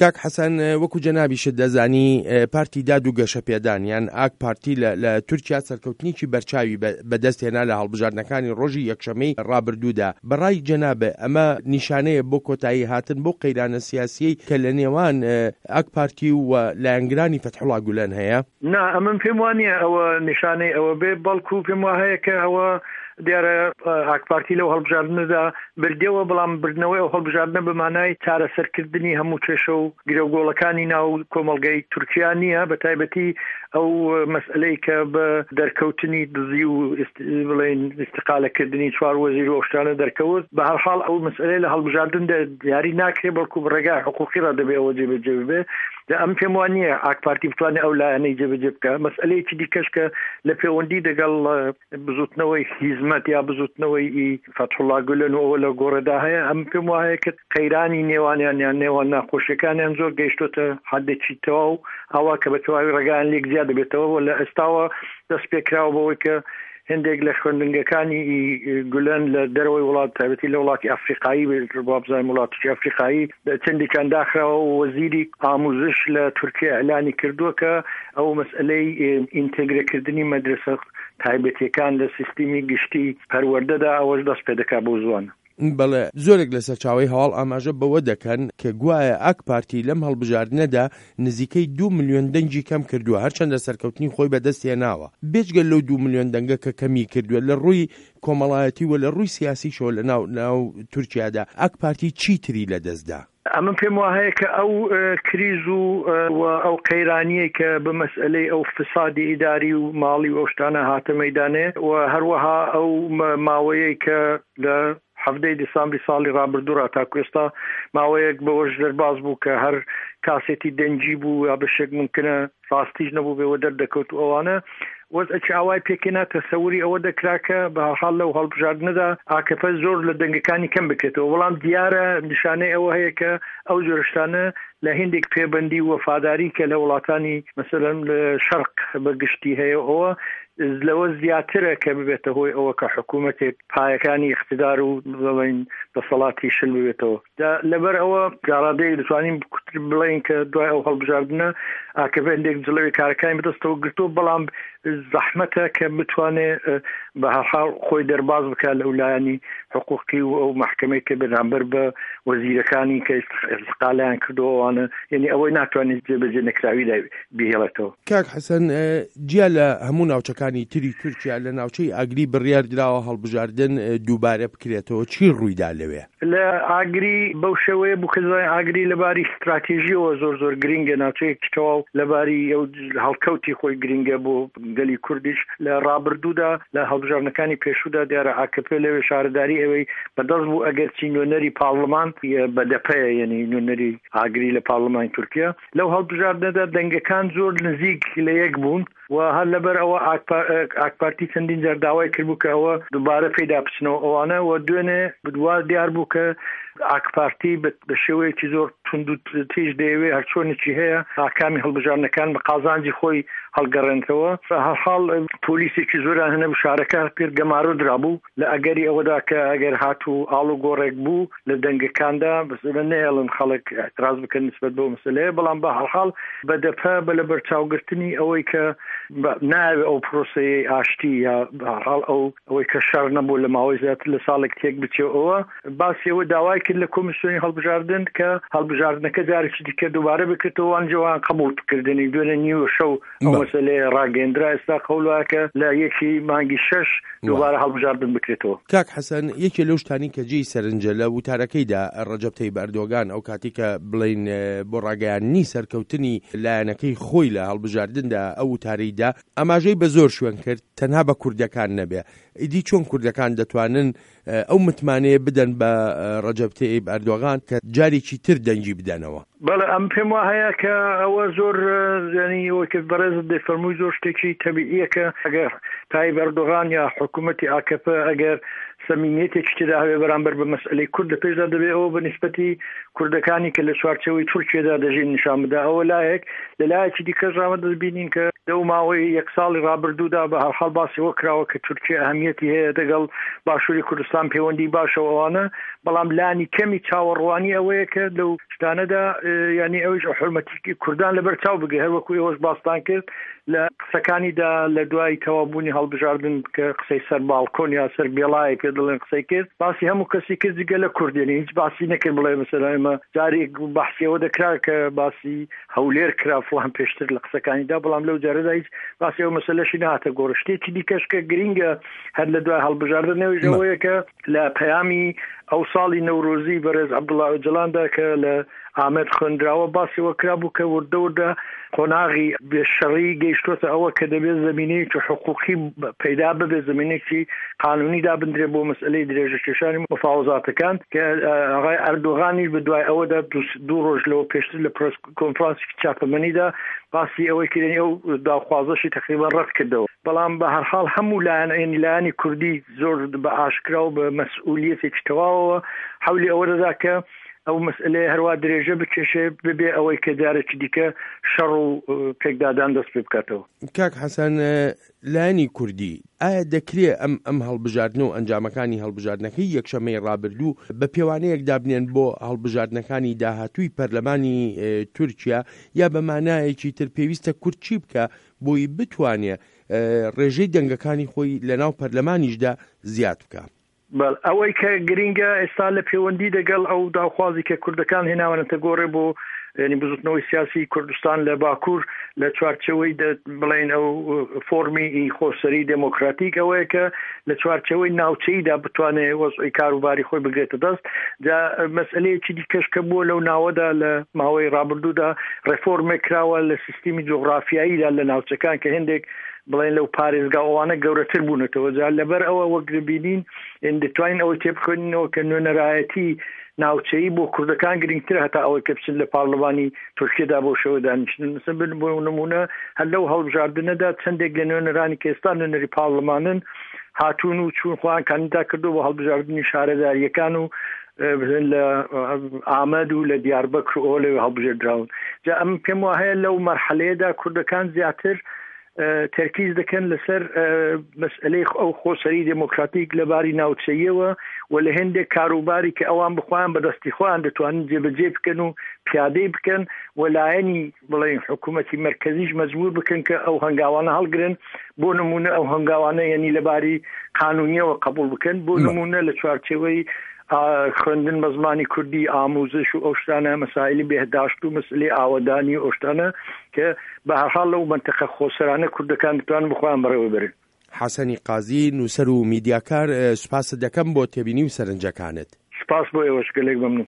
کاک حەسەن وەکو جەنابیشت دەزانی پارتی داد و گەشەپێدان یان ئاک پارتی لە تورکیا سەرکەوتنێکی بەرچاوی بەدەست هێنا لە هەڵبژاردنەکانی ڕۆژی یەکشەمەی ڕابردوودا، بەڕای جەنابت ئەمە نیشانەیە بۆ کۆتایی هاتن بەو قەیرانە سیاسیەی کە لە نێوان ئاک پارتی و لایەنگرانی فەتحوڵا گولەن هەیە؟ نا ئەمن پێم وا نییە ئەوە نیشانەی ئەوە بێ، بەڵکو پێم وا هەیە کە ئەوە دیارە ئاکپارتی لەو هەڵبژاردنەدا بردیەوە، بەڵام بردنەوەی ئەو هەڵبژاردنە بە مانای چارەسەرکردنی هەموو کێشە و گرێوگۆڵەکانی ناو کۆمەڵگەی تورکیا نییە، بە تایبەتی ئەو مەسئەلەی کە بە دەرکەوتنی دزی و بڵێین ئیستقالەکردنی چوار وەزیر و ئەو شتانە دەرکەوت. بە هەرحاڵ ئەو مەسئەلەیە لە هەڵبژاردندا دیاری ناکرێ، بەڵکو بە ڕێگای حقوقی ڕا دەبێ ئەوە جێبەجێ ببێ. جا ئەمن پێم وا نییە ئاکپارتی بتوانێ ئەو لایەنەی جێبەجێ بکا. مەسئەلەیەکی دیکەش کە لە پێوەندی دەگەڵ بزوتنەوەی هیزمەت یا بزوتنەوەی ئی فەتحوڵا گولەن و ئەوە لە گۆڕێدا هەیە، ئەم پێم وایە کە قەیرانی نێوانیان یان نێوان ناخۆشیەکانیان زۆر گەیشتۆتە حدێکی تەواو ئاوا کە بە تەواوی ڕێگایان لێک جیا دەبێتەوە و لە ئێستاوە دەست پێکراوە بەوەی کە هەندێک لە خوێندنگەکانی گولەن لە دەرەوەی وڵات تایبەتی لە وڵاتی ئەفریقایی وابزانم وڵاتێکی ئەفریقایی چەندێکیان داخراوە و وەزیری ئاموزش لە تورکیا ئیعلانی کردووە کە ئەو مەسئلەی ئینتێگرەکردنی مەدرسە تایبەتیەکان لە سیستمی گشتی پەروەردەدا ئەوەش دەست پێدەکا بەو زوانە. بەڵێ، زۆرێک لە سەرچاوەی هەواڵ ئاماژە بەوە دەکەن کە گوایە ئاک پارتی لەم هەڵبژاردنەدا نزیکەی دوو ملیۆن دەنگی کەم کردووە، هەرچەندە سەرکەوتنی خۆی بەدەست هێناوە. بێجگە لەو دوو ملیۆن دەنگە کە کەمی کردووە، لە ڕووی کۆمەڵایەتی و لە ڕووی سیاسیشەوە لە ناو ناو تورکیادا ئاک پارتی چی تری لەدەست دا؟ ئەمن پێم واهەیە کە ئەو کریز و و ئەو قەیرانیەی کە بە مەسئەلەی ئەو فسادی ئیداری و ماڵی و ئەو شتانە هاتە مەیدانێ و هەروەها ئەو ماوەیەی کە لە حەڤدەی دیسامبری ساڵی ڕابردوو ڕا تاکو ئێستا ماوەیەک بەوەش دەرباز بوو کە هەر کاسێتی دەنگی بوو یا بەشێک ممکنە ڕاستیش نەبووبێ و دەردەکەوت و ئەوانە وەزعێکی ئاوای پێکهێنا تەسەوری ئەوە دەکرا کە بە هەرحاڵ لەو هەڵبژاردنەدا ئاکەپە زۆر لە دەنگەکانی کەم بکرێتەوە بەڵام دیارە نیشانەی ئەوە هەیە کە ئەو جۆرە شتانە لە هێندێک پێبەندی و وەفاداری کە لە وڵاتانی مەسەلەن لە شەرق بە گشتی هەیە ئەوە لەوە زیاترە کە ببێتە هۆی ئەوە کە حکوومەتێک پایەکانی ئیقتدار و بڵێین دەسەڵاتی شل ببێتەوە. جا لەبەر ئەوە تاڕادەیەک دەتوانین بڵێین کە دوای ئەو هەڵبژاردنە ئاکەپە هەندێک جڵەوی کارەکانی بەدەستەوە گرتووە، بەڵام زەحمەتە کە بتوانێ بە هەرحاڵ خۆی دەرباز بکات لەو لایەنی حقوقی و ئەو مەحکەمەی کە بەرامبەر بە وەزیرەکانی کە ئیستقالەیان کردووە ئەوانە، یعنی ئەوەی ناتوانێت جێبەجێ نەکراوی لای بیهێڵێتەوە. کاک حەسەن جیا لە هەموو ناوچەکانی تری تورکیا لە ناوچەی ئاگری بڕیار دراوە هەڵبژاردن دووبارە بکرێتەوە، چی ڕوویدا لەوێ؟ لە ئاگری بەو شێوەیە بوو کە دەزانین ئاگری لە باری ستراتێژییەوە زۆر زۆر گرینگە، ناوچەیەکی تەواو لە باری ئەو هەڵکەوتی خۆی گرینگە بۆ گەلی کوردیش. لە ڕابردوودا لە هەڵبژاردنەکانی پێشوودا دیارە ئاکەپە لەوێ شارەداری ئەوێی بەدەست بوو ئەگەرچی نوێنەری پاڕلمان بەدەپەیە یەنی نوێنەری ئاگری لە پاڕلمانی تورکیا لەو هەڵبژاردنەدا دەنگەکان زۆر نزیک لە یەک بوون و هەر لەبەر ئەوە ئاکپارتی چەندین جار داوای کردبوو کە ئەوە دووبارە پێیدا بچنەوە ئەوانە و دوێنێ وا دیار بوو کە ئاکپارتی بە شێوەیەکی زۆر توند و تیژ دەیەوێ هەرچۆنێکی هەیە ئاکامی هەڵبژاردنەکان بە قازانجی خۆی هەڵگەڕێنتەوە. هەرحاڵ پۆلیسێکی زۆریان هەنەبوو شارەکە پێر گەمارۆ درابوو لە ئەگەری ئەوەدا کە ئەگەر هاتوو ئاڵوگۆڕێک بوو لە دەنگەکاندا بەسەرە نەهێڵن خەڵک ئیعتراز بکەن نسبەت بەو مەسەلەیە، بەڵام بە هەرحاڵ بەدەپە بە لەبەرچاوگرتنی ئەوەی کە نایەوێ ئەو پرۆسەیەی ئاشتی یا بە هەرحاڵ ئەو ئەوەی کە شەڕ نەبوو لە ماوەی زیاتر لە ساڵێک تێک بچێ ئەوە باسی ئەوە داوای کرد لە کۆمیسیۆنی هەڵبژاردن کە هەڵبژاردنەکە جارێکی دیکە دووبارە بکرێتەوە وان جوان قبوڵ کردنی دوێنێ نیوە شەو ئەو مەسەلەیە ڕاگەیەندرا، ئێستا قەول وایە کە لە یەکی مانگی شەش دووبارە هەڵبژاردن بکرێتەوە. کاک حەسەن، یەکێ لەو شتانەی کە جێی سەرنجە لە وتارەکەیدا ڕەجەب تەیب ئەردۆگان ئەو کاتەی کە بڵێین بۆ ڕاگەیاندنی سەرکەوتنی لایەنەکەی خۆی لە هەڵبژاردندا ئەو وتارەی دا، ئاماژەی بە زۆر شوێن کرد تەنها بە کوردەکان نەبێ، ئیدی چۆن کوردەکان دەتوانن ئەو متمانەیە بدەن بە ڕەجەب تەیب ئەردۆغان کە جارێکی تر دەنگی بدەنەوە؟ بەڵێ ئەم پێم وا هەیە کە ئەوە زۆر یانی ئەوەی کە بەڕێزت دەیفەرمووی زۆر شتێکی تەبیعیە کە ئەگەر تایب ئەردۆغان یا حکوومەتی ئاکەپە ئەگەر سەمیمیەتێکی تێدا هەبێ بەرامبەر بە مەسئەلەی کورد لە پێشدا دەبێ ئەوە بە نیسبەتی کوردەکانی کە لە چوارچێوەی تورکیەدا دەژین نیشان بدا ئەوە لایەک لە لایەکی دیکەش ڕامە دەبینین کە لەو ماوەی یەک ساڵی ڕابردوودا بە هەرحاڵ باسی ئەوە کراوە کە تورکیە ئەهمیەتی هەیە دەگەڵ باشووری کوردستان پەیوەندی باشە و ئەوانە بەڵام لانی کەمی چاوەڕوانی ئەوەیە کە لەو شتانەدا یعنی ئەویش حرمەتی کوردان لەبەر چاو بگرێ هەر وەکو ئێوەش باستان کرد لە قسەکانیدا لە دوای تەواوبوونی هەڵبژاردن کە قسەی سەر باڵکۆن یا سەر بێڵایە پێ دەڵێن قسەی کرد باسی هەموو کەسی کرد جگە لە کورد یعنی هیچ باسی نەکرد بڵێ مەسەلەن ئێمە جارێک بەحسی ئەوە دەکرا کە باسی هەولێر کرا فڵان پێشتر لە قسەکانیدا بەڵام لەو جارەدا هیچ باسی ئەو مەسەلەشی نەهاتە گۆڕ شتێکی دیکەش کە گرینگە هەر لە دوای هەڵبژاردن ئەویش ئەوەیە کە لە پەیامی ئەو ساڵی نەورۆزی بەڕێز عەبدوڵا ئۆجەلاندا کە لە ئامەد خوێندراوە باسی ئەوە کرابوو کە وردە وردە قۆناغی بێ شەڕی گەیشتۆتە ئەوە کە دەبێت زەمینەیەکی حقوقی پەیدا ببێت زەمینێکی قانونی دابندرێت بۆ مەسئلەی درێژەکێشانی مفاوەزاتەکان کە ئاغای ئەردۆغانیش بە دوای ئەوەدا دوو ڕۆژ لەوە پێشتر لە پرێس کۆنفرانسێکی چاپەمەنیدا باسی ئەوەی کردنی ئەو داخوازەشی تقریبا ڕەت کردەوە بەڵام بە هەرحاڵ هەموو لایەن یعنی لایەنی کوردی زۆر بە ئاشکرا و بە مەسئولیەتێکی تەواوەوە حەولی ئەوە دەدا کە ئەو مەسئلەیە هەروا درێژە بکێشێ ببێ ئەوەی کە جارێکی دیکە شەڕ و پێکدادان دەست پێ بکاتەوە. کاک حەسەن لایەنی کوردی ئایا دەکرێ ئەم ئەم هەڵبژاردنە و ئەنجامەکانی هەڵبژاردنەکەی یەکشەممەی ڕابردوو بە پێوانەیەک دابنێن بۆ هەڵبژاردنەکانی داهاتووی پەرلەمانی تورکیا یا بە مانایەکی تر پێویستە کورد چی بکا بۆی بتوانێ ڕێژەی دەنگەکانی خۆی لەناو پەرلەمانیشدا زیاد بکا؟ بەڵێ ئەوەی کە گرینگە ئێستا لە پێوەندی دەگەڵ ئەو داوخوازی کە کوردەکان هێناوەنەتە گۆڕێ بۆ یعنی بزوتنەوەی سیاسی کوردستان لە باکوور لە چوارچەوەی بڵێن ئەو فۆرمی ئی خۆسەری دێمۆکراتیک ئەوەیە کە لە چوارچەوەی ناوچەیدا بتوانێ وەزعی کاروباری خۆی بگرێتە دەست جا مەسئلەیەکی دیکەش کە بووە لەو ناوەدا لە ماوەی ڕابردوودا ڕێفۆرمێک کراوە لە سیستمی جوغرافیاییدا لە ناوچەکان کە هێندێک بڵێن لەو پارێزگا ئەوانە گەورەتر بوونەتەوە جا لەبەر ئەوە وەک دەبینین دەتوانین ئەوەی تێبخوێنینەوە کە نوێنەرایەتی ناوچەیی بۆ کوردەکان گرنگترە هەتا ئەوەی کە بچن لە پارلمانی تورکیەدا بۆ شێوە دانیشتن مثلا بن بۆ نمونە هەر لەو هەڵبژاردنەدا چەندێک لە نوێنەرانی کە ئێستا نوێنەری پارلمانن هاتوون و چوون خۆیان کاندیدا کردو بۆ هەڵبژاردنی شارەداریەکان و لە ئامەد و لە دیاربەکر و لەوێ هەڵبژێردراون جا ئەم پێم وایە لەو مەرحەلەیەدا کوردەکان زیاتر تەرکیز دەکەن لەسەر مەسئلەی ئەو خۆسەری دێمۆکراتیک لە باری ناوچەیەوە و لە هێندێک کاروباری کە ئەوان بخۆیان بەدەستی خۆیان دەتوانن جێبەجێ بکەن و پیادەی بکەن و لایەنی بڵێن حکوومەتی مەرکەزیش مەجبور بکەن کە ئەو هەنگاوانە هەڵگرن بۆ نمونە ئەو هەنگاوانە یەنی لەباری قانونیەوە قبول بکەن بۆ نمونە لە چوارچێوەی خوێندن بە زمانی کوردی ئاموزش و ئەو شتانە مەسایلی بێهداشت و مەسئلەی ئاوەدانی و ئەو شتانە کە بە هەرحاڵ لەو مەنتەقە خۆسەرانە کوردەکان دەتوانن بخۆیان بەڕێوە بەرن. حەسەنی قازی، نووسەر و میدیاکار، سوپاست دەکەم بۆ تێبینی و سەرنجەکانت. سوپاس بۆ ئێوەش، گەلێک مەمنوون.